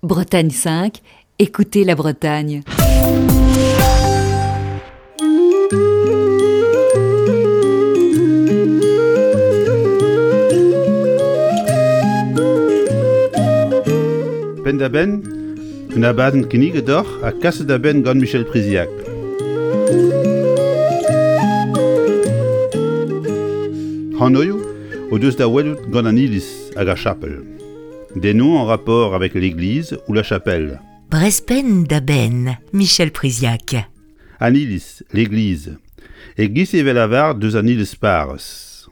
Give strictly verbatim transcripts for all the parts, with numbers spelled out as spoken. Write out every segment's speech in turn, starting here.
Bretagne cinq, écoutez la Bretagne. Penn-da-benn, un abadenn kinniget deoc'h ha kaset da benn gant Michel Priziac. Hanoioù o deus da welout gant an iliz hag ar chapel. Des noms en rapport avec l'église ou la chapelle. Brezh Penn-da-Benn, Michel Priziac. An iliz, l'église. E-giz e vez lavaret deus an iliz parrez.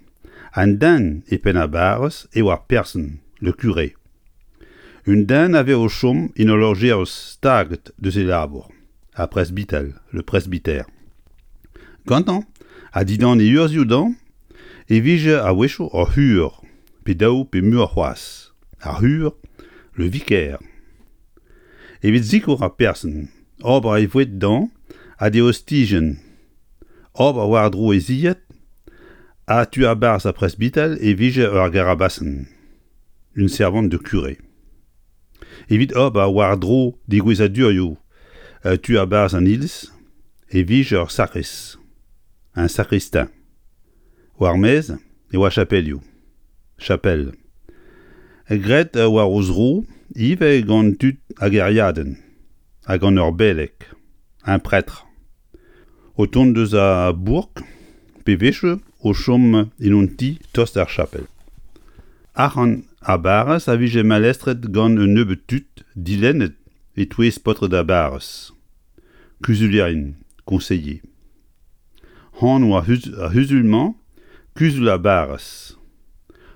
An den e penn ar barrez eo ar person, le curé. Un den a vez o chom en ul lojeiz staget deus e labour, ar presbital, le presbytère. Gantañ, ha dindan e urzhioù dañ, e vije a-wechoù ur c'hur, pe daou pe muioc'h c'hoazh. Ar c'hur, le vicaire. Evit sikour ar person, ober e voued dañ ha d'e ostijenn, ober war-dro e zilhad, ha tu a-barzh ar presbital e vije ur garabasenn, une servante de curé. Evit ober war-dro degouezhadurioù tu a-barzh an iliz e vije ur sakrist, un sacristain. War-maez e oa chapelioù, chapelle. Graet war o zro ivez gant tud a gêriadenn ha gant ur beleg, un prêtre. O tont deus a bourk pe wechoù o chom en un ti tost d'ar chapel. Arc'hant ar barrez a vije malestret gant un nebeud tud dilennet e-touez paotred ar barrez. Kuzulierien, conseiller. Anv ar c'huzul-mañ, kuzul ar barrez.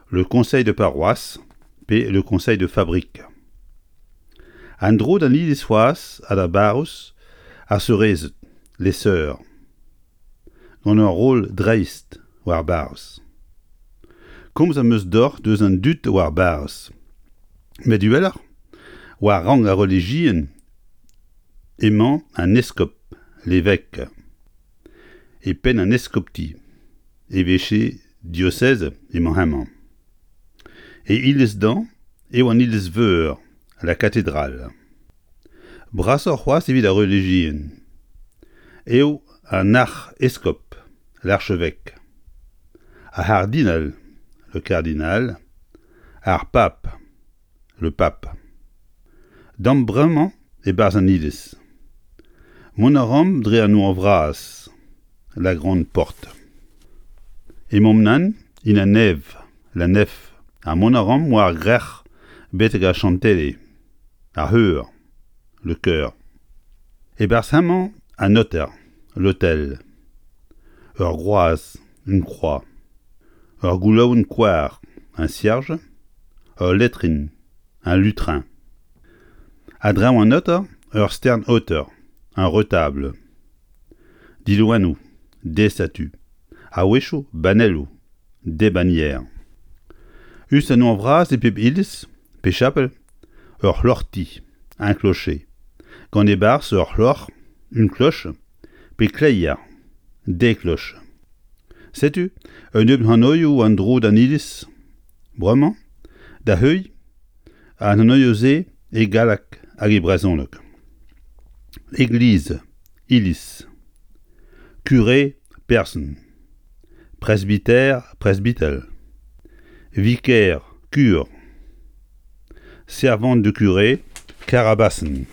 Le conseil de paroisse pe le conseil de fabrique. An dro d'an iliz c'hoazh ha d'ar barrouz ar seurezed, les sœurs. Gant ur roll dreist war barrez. Komz am eus deoc'h deus an dud war barrez. Met uheloc'h, war rank ar relijion emañ an eskob, l'évêque. E penn an eskopti, évêché diocèse emañ hemañ. E iliz dañ eo an iliz-veur, la cathédrale. Brasoc'h c'hoazh evit ar relijion eo an arc'heskob, l'archevêque. Ar c'hardinal, le cardinal, ar pab, le pape. Damp bremañ e-barzh an iliz. Mont a ran dre an nor vras, la grande porte. Emaomp nann en an nev, la nef, ha mont a ran war grec'h betek ar chantele, ar c'heur, le chœur. E-barzh hemañ an aoter, l'autel. Ur groaz, une croix. Ur goulaouenn koar, un cierge. Ul letrin, un lutrin. A-dreñv an aoter, ur stern aoter, un retable. Diloennoù, des statues. A-wechoù banelloù, des bannières. Us an nor vras e pep iliz, pe chapel, ur c'hloc'hti, un clocher. Gant e-barzh ur c'hloc'h, une cloche, pe kleier, des cloches. Setu un nebeud hanoioù an dro d'an iliz, bremañ, da heuilh, an hanoioù-se e galleg hag e brezhoneg. Église, iliz. Curé, person. Presbytère, presbytel. Vicaire, cure. Servante de curé, karabasenn.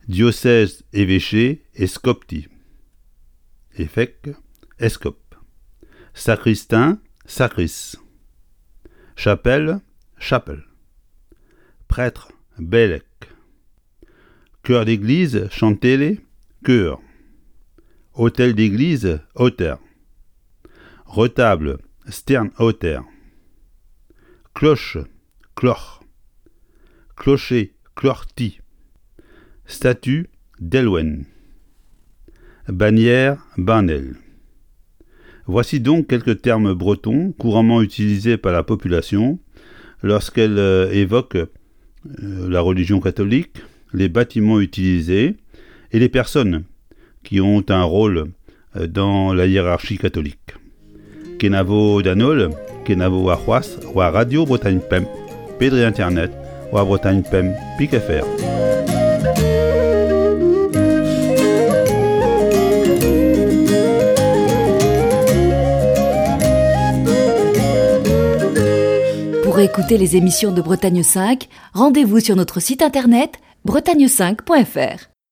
Diocèse, évêché, eskopti. Évêque, eskob. Sacristain, sakrist. Chapelle, chapel. Prêtre, beleg. Chœur d'église, chantele, chœur. Autel d'église, aoter. Retable, stern aoter. Cloche, kloc'h. Clocher, kloc'hti. Statue, delwenn. Bannière, banell. Voici donc quelques termes bretons couramment utilisés par la population lorsqu'elle euh, évoque euh, la religion catholique, les bâtiments utilisés et les personnes qui ont un rôle euh, dans la hiérarchie catholique. Kenavo d'an holl, kenavo warc'hoazh, war Radio Bretagne Pemp, pe dre internet, war Bretagne pemp pik F R. Pour écouter les émissions de Bretagne cinq, rendez-vous sur notre site internet bretagne cinq point F R.